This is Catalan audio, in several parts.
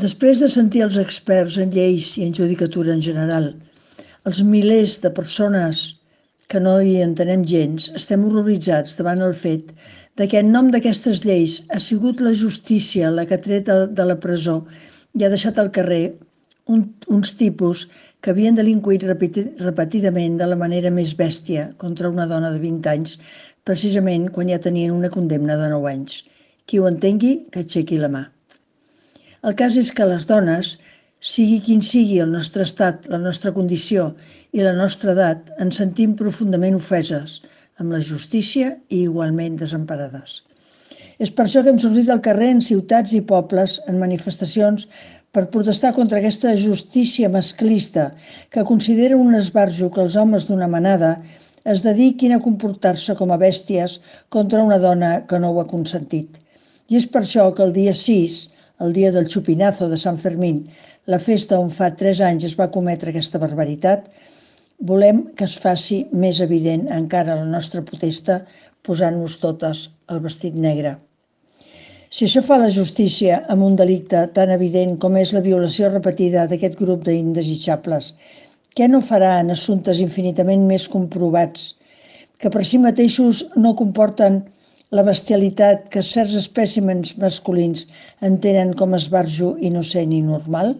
Després de sentir els experts en lleis i en judicatura en general, els milers de persones que no hi entenem gens, estem horroritzats davant el fet de que en nom d'aquestes lleis ha sigut la justícia la que ha tret de la presó i ha deixat al carrer uns tipus que havien delinquit repetidament de la manera més bèstia contra una dona de 20 anys, precisament quan ja tenien una condemna de 9 anys. Qui ho entengui, que aixequi la mà. El cas és que les dones, sigui quin sigui el nostre estat, la nostra condició i la nostra edat, ens sentim profundament ofeses amb la justícia i igualment desemparades. És per això que hem sortit al carrer en ciutats i pobles, en manifestacions, per protestar contra aquesta justícia masclista que considera un esbarjo que els homes d'una manada es dediquin a comportar-se com a bèsties contra una dona que no ho ha consentit. I és per això que el dia 6, el dia del Chupinazo de Sant Fermín, la festa on fa 3 anys es va cometre aquesta barbaritat, volem que es faci més evident encara la nostra protesta posant-nos totes el vestit negre. Si això fa la justícia amb un delicte tan evident com és la violació repetida d'aquest grup d'indesitjables, què no farà en assumptes infinitament més comprovats, que per si mateixos no comporten la bestialitat que certs espècimens masculins entenen com esbarjo innocent i normal?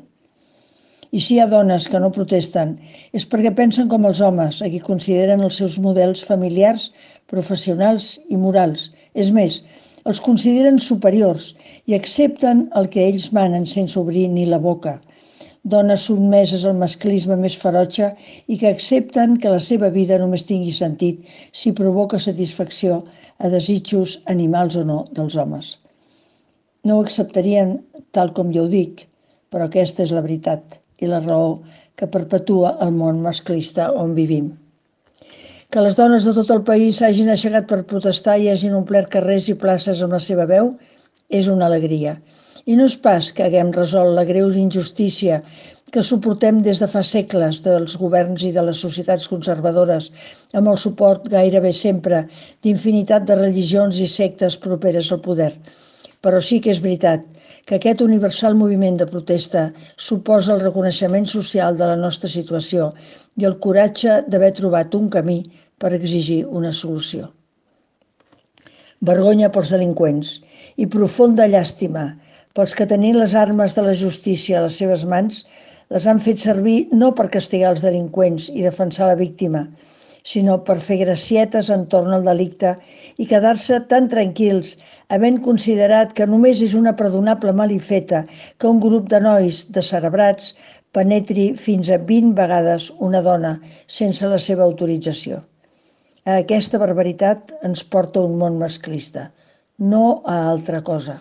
I si hi ha dones que no protesten, és perquè pensen com els homes, a qui consideren els seus models familiars, professionals i morals. És més, els consideren superiors i accepten el que ells manen sense obrir ni la boca. Dones sotmeses al masclisme més ferotge i que accepten que la seva vida només tingui sentit si provoca satisfacció a desitjos animals o no dels homes. No ho acceptarien tal com jo ho dic, però aquesta és la veritat i la raó que perpetua el món masclista on vivim. Que les dones de tot el país s'hagin aixecat per protestar i hagin omplert carrers i places amb la seva veu és una alegria. I no és pas que haguem resolt la greu injustícia que suportem des de fa segles dels governs i de les societats conservadores, amb el suport gairebé sempre d'infinitat de religions i sectes properes al poder. Però sí que és veritat que aquest universal moviment de protesta suposa el reconeixement social de la nostra situació i el coratge d'haver trobat un camí per exigir una solució. Vergonya pels delinqüents i profunda llàstima pels que tenint les armes de la justícia a les seves mans les han fet servir no per castigar els delinqüents i defensar la víctima, sinó per fer gracietes entorn al delicte i quedar-se tan tranquils, havent considerat que només és una perdonable malifeta que un grup de nois descerebrats penetri fins a 20 vegades una dona sense la seva autorització. A aquesta barbaritat ens porta un món masclista, no a altra cosa.